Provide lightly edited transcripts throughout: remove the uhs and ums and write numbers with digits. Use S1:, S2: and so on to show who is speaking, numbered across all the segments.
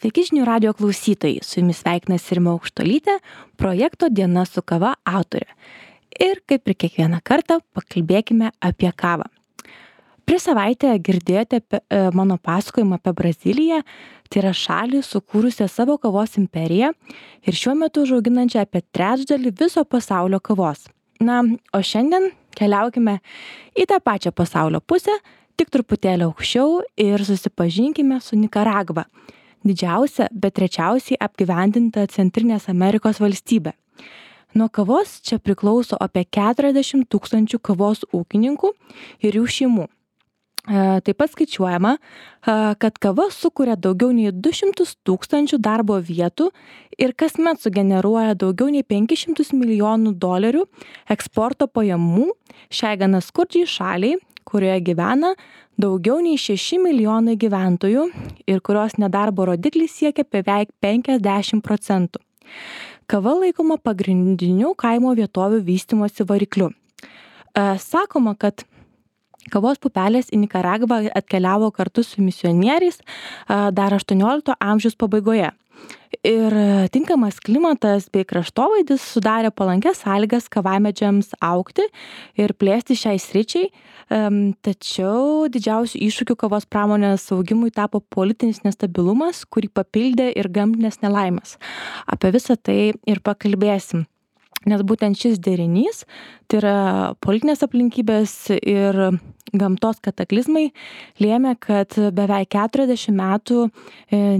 S1: Sveiki žinių radio klausytojai, su jumis sveikinasi Rima Aukštuolytė, projekto Diena su kava autorė. Ir kaip ir kiekvieną kartą, pakalbėkime apie kavą. Prieš savaitę girdėjote mano pasakojimą apie Braziliją, tai yra šalį sukūrusią savo kavos imperiją ir šiuo metu užauginančią apie trečdalį viso pasaulio kavos. Na, o šiandien keliaukime į tą pačią pasaulio pusę, tik truputėlį aukščiau ir susipažinkime su Nikaragva. Didžiausia, bet rečiausiai apgyvendinta Centrinės Amerikos valstybė. Nuo kavos čia priklauso apie 40 000 kavos ūkininkų ir jų šeimų. Taip pat skaičiuojama, kad kava sukuria daugiau nei 200 000 darbo vietų ir kasmet sugeneruoja daugiau nei $500 milijonų eksporto pajamų šiai gana skurdžiai šaliai, kurioje gyvena daugiau nei 6 milijonai gyventojų ir kurios nedarbo rodiklis siekia beveik 50%. Kava laikoma pagrindiniu kaimo vietovių vystymosi varikliu. Sakoma, kad kavos pupelės į Nikaragvą atkeliavo kartu su misionieriais dar 18 amžiaus pabaigoje. Ir tinkamas klimatas bei kraštovaizdis sudarė palankias sąlygas kavamedžiams augti ir plėsti šiai sričiai, tačiau didžiausiu iššūkiu kavos pramonės augimui tapo politinis nestabilumas, kurį papildė ir gamtinės nelaimės. Apie visą tai ir pakalbėsim. Nes būtent šis derinys, tai yra politinės aplinkybės ir gamtos kataklizmai, lėmė, kad beveik 40 metų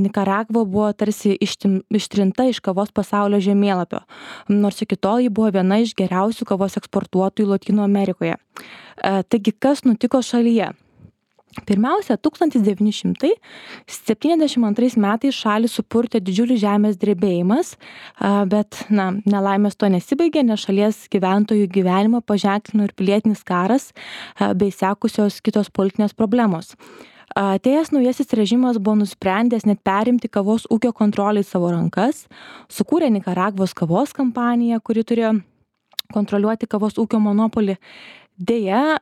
S1: Nikaragva buvo tarsi ištrinta iš kavos pasaulio žemėlapio, nors iki tol ji buvo viena iš geriausių kavos eksportuotojų Lotynų Amerikoje. Taigi, kas nutiko šalyje? Pirmiausia, 1972 metais šalį supurtė didžiulis žemės drebėjimas, bet nelaimės to nesibaigė, nes šalies gyventojų gyvenimą paženklino ir pilietinis karas bei sekusios kitos politinės problemos. Atėjęs naujasis režimas buvo nusprendęs net perimti kavos ūkio kontrolę į savo rankas, sukūrė Nikaragvos kavos kampaniją, kuri turėjo kontroliuoti kavos ūkio monopolį. Deja,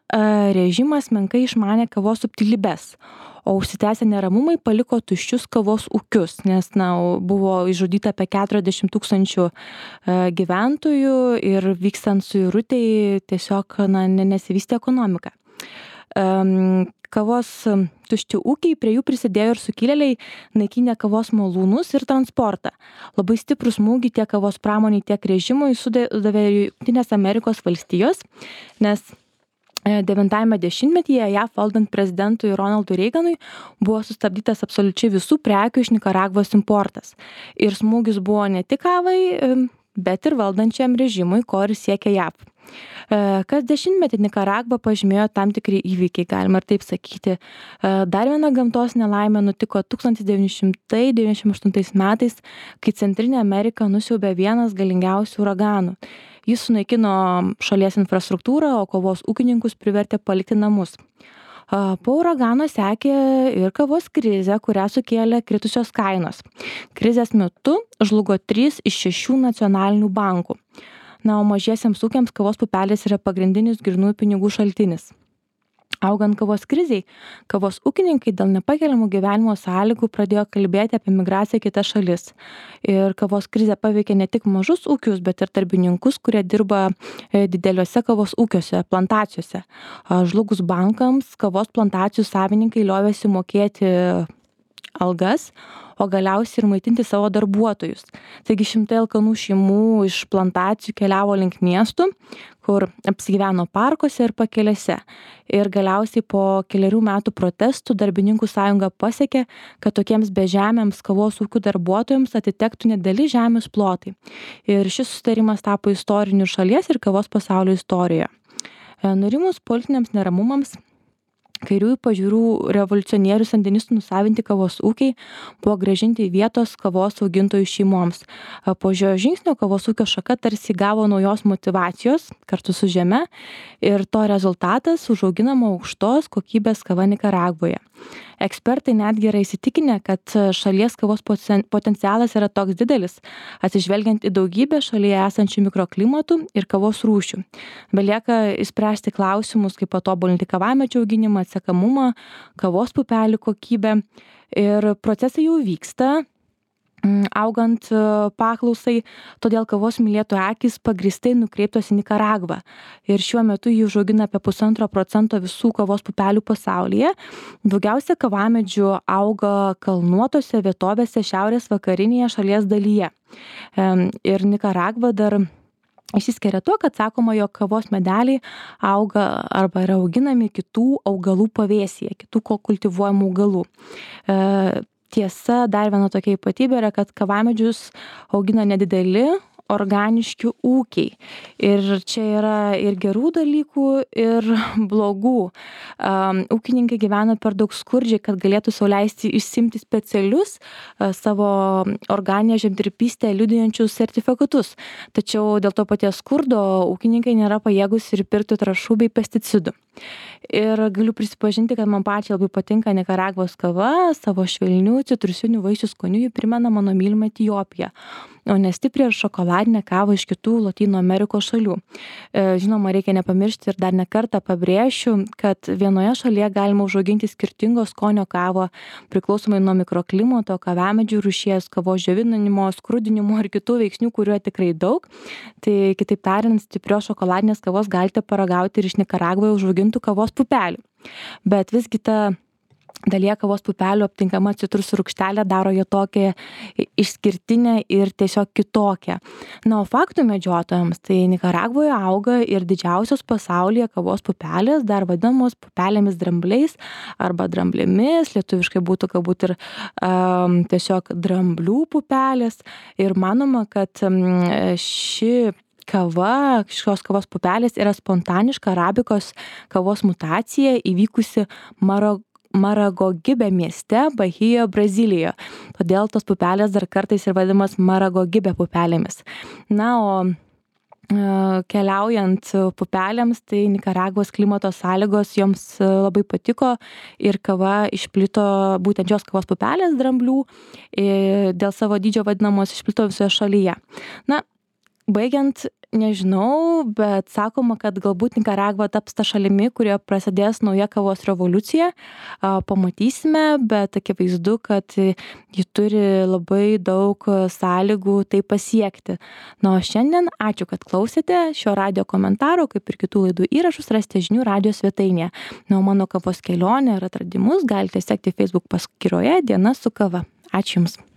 S1: režimas menkai išmanė kavos subtilybes, o užsitęsę neramumai paliko tuščius kavos ūkius, nes buvo išžudyta apie 40 000 gyventojų ir vykstant suirutei tiesiog nesivystė ekonomika. Kavos tušti ūkiai, prie jų prisidėjo ir sukilėliai, naikinę kavos malūnus ir transportą. Labai stiprų smūgį tiek kavos pramoniai, tiek režimui sudavė Jungtinės Amerikos valstijos, nes 90-ame dešimtmetyje JAV valdant prezidentui Ronaldui Reiganui buvo sustabdytas absoliučiai visų prekių iš Nikaragvos importas. Ir smūgis buvo ne tik kavai, bet ir valdančiam režimui, ko ir siekia JAV. Kas dešimtmetį Nikaragvą pažymėjo tam tikri įvykiai, galima ir taip sakyti. Dar viena gamtos nelaimė nutiko 1998 metais, kai Centrinė Amerika nusiaubė vienas galingiausių uraganų. Jis sunaikino šalies infrastruktūrą, o kavos ūkininkus privertė palikti namus. Po uragano sekė ir kavos krizė, kurią sukėlė kritusios kainos. Krizės metu žlugo 3 iš 6 nacionalinių bankų. O mažiesiems ūkiams kavos pupelės yra pagrindinis grynųjų pinigų šaltinis. Augant kavos krizei, kavos ūkininkai dėl nepakeliamų gyvenimo sąlygų pradėjo kalbėti apie migraciją į kitas šalis. Ir kavos krizė paveikė ne tik mažus ūkius, bet ir darbininkus, kurie dirba dideliuose kavos ūkiuose, plantacijose. Žlugus bankams, kavos plantacijų savininkai liovėsi mokėti algas, o galiausiai ir maitinti savo darbuotojus. Taigi šimtai alkanų šeimų iš plantacijų keliavo link miestų, kur apsigyveno parkuose ir pakelėse. Ir galiausiai po kelerių metų protestų darbininkų sąjunga pasiekė, kad tokiems bežemiams kavos ūkių darbuotojams atitektų nedideli žemės plotai. Ir šis susitarimas tapo istoriniu šalies ir kavos pasaulio istorijoje. Nurimus politiniams neramumams, kairiųjų pažiūrų revoliucionierių sandinistų nusavinti kavos ūkiai buvo grąžinti į vietos kavos augintojų šeimoms. Po šio žingsnio kavos ūkio šaka tarsi gavo naujos motyvacijos kartu su žeme ir to rezultatas užauginama aukštos kokybės kava Nikaragvoje. Ekspertai netgi yra įsitikinę, kad šalies kavos potencialas yra toks didelis, atsižvelgiant į daugybę šalyje esančių mikroklimatų ir kavos rūšių. Belieka išspręsti klausimus, kaip patobulinti kavamedžių auginimą, atsekamumą, kavos pupelių kokybę. Ir procesai jau vyksta. augant paklausai, todėl kavos mylėtojų akys pagrįstai nukreiptos į Nikaragvą. Ir šiuo metu jį užaugina apie 1,5% visų kavos pupelių pasaulyje. Daugiausia kavamedžių auga kalnuotose vietovėse šiaurės vakarinėje šalies dalyje. Ir Nikaragva dar išsiskiria tuo, kad sakoma, jog kavos medeliai auga arba yra auginami kitų augalų pavėsyje, kitų kultivuojamų augalų. Tiesa, dar viena tokia ypatybė yra, kad kavamedžius augina nedideli organiški ūkiai. Ir čia yra ir gerų dalykų, ir blogų. Ūkininkai gyvena per daug skurdžiai, kad galėtų sau leisti išsiimti specialius savo organinę žemdirbystę liudijančius sertifikatus. Tačiau dėl to paties skurdo ūkininkai nėra pajėgus ir pirkti trąšų bei pesticidų. Ir galiu prisipažinti, kad man pačiai labai patinka Nikaragvos kava, savo švelnių citrusinių vaisių skoniu ji primena mano mylimą Etiopiją, o ne stiprią ir šokoladinę kavą iš kitų Lotynų Amerikos šalių. Žinoma, reikia nepamiršti ir dar ne kartą pabrėšiu, kad vienoje šalyje galima užauginti skirtingo skonio kavą, priklausomai nuo mikroklimato, kavamedžių rūšies, kavos džiovinimo, skrudinimo ir kitų veiksnių, kuriuo tikrai daug. Tai kitaip tariant, stiprios šokoladinės kavos galite paragauti ir iš Nikaragvoje užaugintų kavos pupelių. Bet visgi ta dalyje kavos pupelių aptinkama citrusų rūgštelė daro ją tokią išskirtinę ir tiesiog kitokią. Na, o faktų medžiotojams, tai Nikaragvoje auga ir didžiausios pasaulyje kavos pupelės, dar vadinamos pupelėmis drambliais arba dramblėmis, lietuviškai būtų galbūt ir tiesiog dramblių pupelės. Ir manoma, kad šios kavos pupelės yra spontaniška arabikos kavos mutacija įvykusi Maragogibe mieste, Bahijoje, Brazilijoje. Todėl tos pupelės dar kartais ir vadinamas Maragogibe pupelėmis. Na, o keliaujant pupelėms, tai Nikaragvos klimato sąlygos joms labai patiko ir kava išplito, būtent šios kavos pupelės dramblių, dėl savo dydžio vadinamos išplito visoje šalyje. Na, baigiant, nežinau, bet sakoma, kad galbūt Nikaragva taps ta šalimi, kurioje prasidės nauja kavos revoliucija. Pamatysime, bet akivaizdu, kad ji turi labai daug sąlygų tai pasiekti. Na, o šiandien ačiū, kad klausėte šio radijo komentaro, kaip ir kitų laidų įrašus rasite žinių radijo svetainėje. Na, o mano kavos kelionę ir atradimus galite sekti Facebook paskyroje Diena su kava. Ačiū Jums.